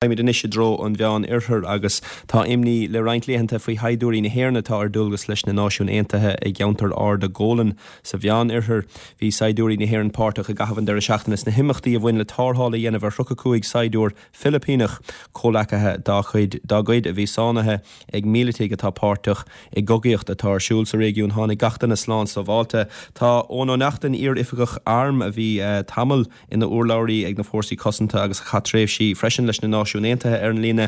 Raghaimid anois i dtreo an Mheán Oirthir agus tá imní le roinnt laethanta faoi shaighdiúirí na hÉireann atá ar dualgas leis na Náisiúin Aontaithe i gceantar Arda Golan sa Mheán Oirthear. Bhí saighdiúirí na hÉireann páirteach i gcaitheamh an deireadh seachtaine sna himeachtaí a bhain le tarrtháil a dhéanamh ar 35 saighdiúir Filipíneach, comhleacaithe dá chuid dá gcuid a bhí sáinnithe ag mílitigh atá páirteach i gcogaíocht atá ar siúl sa réigiún. Tháinig gach duine slán sábháilte. Tá Eoin Ó Neachtain, iar-oifigeach airm a bhí tamall ina urlabhraí ag na Fórsaí Cosanta agus a chaith tréimhsí freisin leis na Náisiúin Aontaithe ar an líne.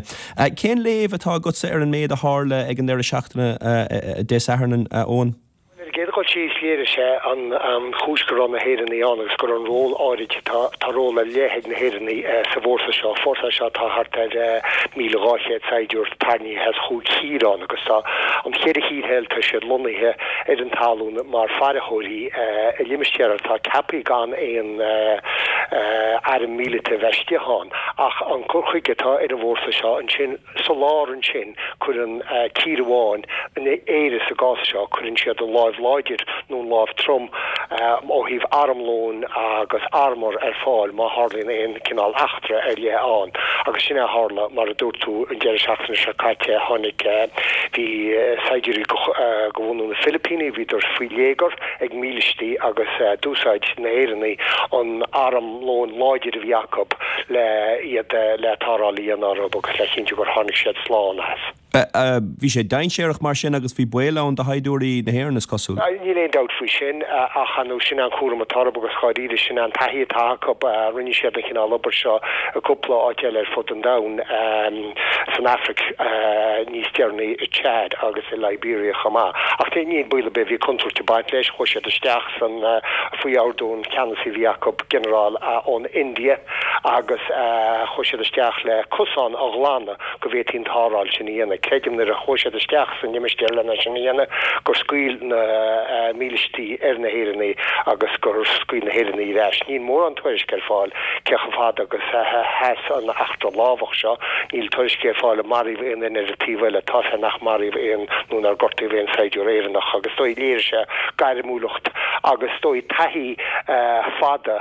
Cén léamh atá agatsa ar an méid a tharla ag an deireadh seachtaine Dé Sathairn, a Eoin? Ar an gcéad dhul síos, léirigh sé an chúis go raibh na hÉireannaigh ann agus go raibh an ról áirid, tá ról ar leith ag na hÉireannaigh sa bhfórsa seo. Fórsa é seo atá thart ar 1,200 saighdiúir tarraingthe as chúig thír ann agus tá an cheithre thír eile, tá siad lonnaithe ar an talún mar faireoirí. i limistéar atá ceaptha gan aon airm míleata a bheith istigh ann. Ach an cur chuige atá ar an bhfórsa seo ansin, sa lár ansin, cuireann tír amháin, Éire sa gcás seo, cuireann siad an láimh láidir nó an láimh trom ó thaobh armlóin agus armúr ar fáil má tharlaíonn aon cineál eachtra ar leith ann. Agus sin é a tharla, mar a dúirt tú, an deireadh seachtaine seo caite. Tháinig, bhí saighdiúirí de bhunadh na Filipíní, bhíodar faoi léigear ag mílístí agus d'úsáid na hÉireannaigh an armlón láidir a bhí acu le iad le tarrtháil a dhéanamh orthu agus le chinntiú gur tháinig siad slán as. Bhí sé dainséarach mar sin agus bhí baol ann do shaighdiúirí na hÉireann, is cosúil. Níl aon dabht faoi sin ach ar ndóigh sin é an cúram atá orthu agus dháiríre sin é an taithí atá acu. Rinne siad an chineál obair seo i gcúpla áit eile ar fud an domhain. san Afraic níos deireanaí, i Chad agus i Liberia chomh maith. Ach níl baol ar bith, bhí contúirt ag baint leis, chuaigh siad isteach san, faoi ordú an cheannasaí a bhí acu, ginearál ón India, agus chuaigh siad isteach le cosán a ghlanadh go bhféadfaí an tarrtháil sin a dhéanamh. Creidim nuair a chuaigh siad isteach san limistéar lena sin a dhéanamh gur scaoil na mílístí ar na hÉireannaigh agus gur scaoil na hÉireannaigh ar ais. Níl mórán tuairisc ar fáil cé chomh fada agus a sheas an eachtra lámhach seo. Níl tuairiscí ar fáil ar maraíodh aon duine ar an taobh eile. Tá's agam nach maraíodh aon nó nár gortaíodh aon saighdiúir Éireannach agus is dóigh léirigh sé gairmiúlacht agus is dóigh taithí fada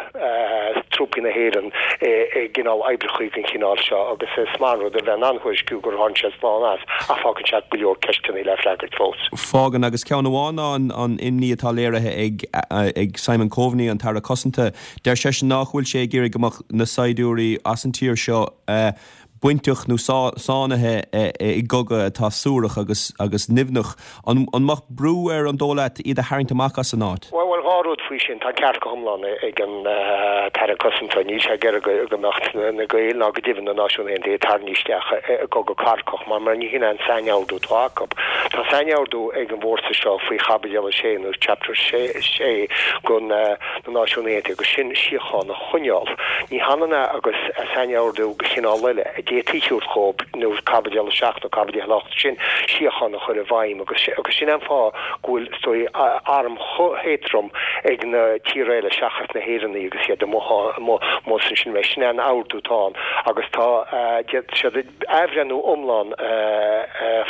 trúpaí na hÉireann i gcineál oibreachaí den chineál seo agus is maith an rud a bheith in ann thuairisciú gur tháinig siad slán as ach fágann sé go leor ceisteanna le freagairt fós. Fágann agus ceann amháin ná an imní atá léirithe ag Simon Coveney, an tAire Cosanta, Deir seisean nách bhfuil sé ag iarraidh go mbeadh na saighdiúirí as an tír seo bainteach nó sáinnithe i gcogadh atá suarach agus agus nimhneach. An mbeadh brú air, an dóigh leat, iad a tharraingt amach as an áit? Bhuel, dhá rud faoi sin. Tá an ceart go hiomlán ag an tAire Cosanta. Níl sé ag iarraidh go mbeadh na Gaeil ná go deimhin na Náisiúin Aontaithe tarraingthe isteach i gcogadh cathartha mar mar ní hin é an sainordú atá acu. Tá sainordú ag an bhfórsa seo faoi Chaibidil 6 nó Chapter 6 den na Náisiún Aontaithe agus sin síocháin a choinneáil. Ní hionann é agus sainordú de chineál eile a d'fhéadfaí a thabhairt dhóibh, nó Caibidil 7 nó Caibidil 8, sin síocháin a chur i bhfeidhm agus agus sin é an fáth go bhfuil, is dóigh, arm chomh héadrom ag na tíortha eile seachas na hÉireannaigh agus iad amuigh amuigh ansin. Sin é an ordú atá ann agus tá, d'fhéadfadh siad. athbhreithniú iomlán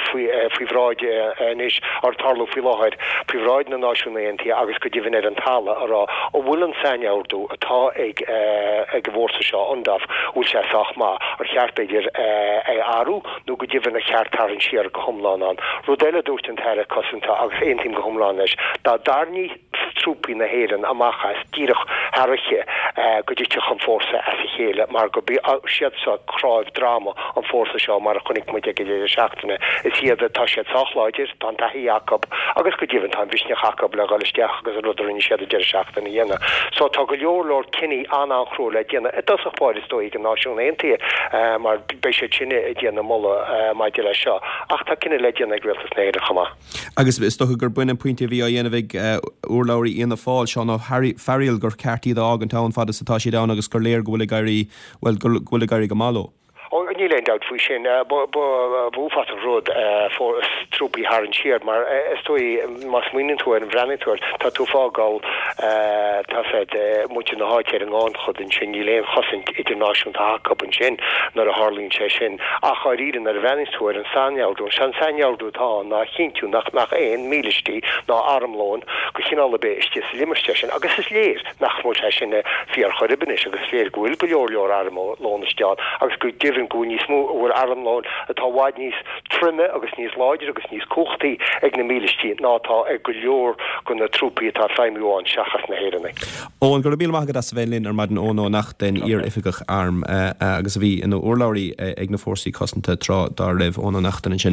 faoi bhráid anois, ag tarlú faoi láthair, faoi bhráid na Náisiún Aontaithe agus go deimhin ar an talamh, a rá an bhfuil an sainordú atá ag an bhfórsa seo, UNDOF, an bhfuil sé sách maith, ar cheart b'fhéidir é a athrú nó go deimhin ar cheart tarraingt siar go hiomlán ann. Rud eile a dúirt an tAire Cosanta, agus aontaím go hiomlán leis, dá dtarraingeofaí trúpaí na hÉireann amach as díreach thar oíche go dtitfeadh an fórsa as a chéile mar gurb iad seo cnámh droma an fórsa seo mar a chonaic muid ag an deireadh seachtaine. Is iad, tá siad sách láidir, tá an taithí acu agus go deimhin tá an mhisneach acu le dhul isteach agus an rud a rinne siad an deireadh seachtaine a dhéanamh. So tá go leor leor cinní an-an-chrua le déanamh i dtosach báire is dóigh ag na Náisiúin Aontaithe mar beidh siad sin ag déanamh moladh maidir leis seo ach tá cinneadh le déanamh ag Rialtas na hÉireann chomh maith. Agus is dócha gur b'in an pointe a bhí á dhéanamh ag urlabhraí Fhianna Fáil, Seán Ó Fearghaíl, gur ceart iad a fhágaint ann fad is atá siad ann agus gur léir go bhfuil ag éirí, bhuel, go bhfuil ag éirí go maith leo. Ó, níl aon dabht faoi sin. Ba uafásach rud trúpaí a tharraingt siar mar is dóigh má smaoiníonn tú air, an bhreathnaíonn tú air, tá tú ag fágáil, tá a fhios agat, muintir na háite ar an ngannchuid ansin, níl aon chosaint idirnáisiúnta acu ansin nuair a tharlaíonn sé sin. Ach dháiríre nuair a bhreathnaíonn tú ar an sainordú, an sainordú atá ann ná a chinntiú nach mbeadh aon mílístí ná armlón de chineál ar bith istigh sa limistéar sin agus is léir nach bhfuil sé sin fíor chor ar bith anois agus is léir go bhfuil go leor leor armlón istigh ann agus go deimhin go bhfuil. níos mó, a bhfuil armlón atá i bhfad níos troime agus níos láidre agus níos cumhachtaí ag na mílístí ná atá ag go leor de na trúpaí atá ag feidhmiú ann seachas na hÉireannaigh. Eoin, go raibh míle maith agat as a bheith linn ar maidin. Eoin Ó Neachtain, iar-oifigeach airm agus a bhí ina urlabhraí ag na Fórsaí Cosanta tráth dá raibh. Eoin Ó Neachtain ansin.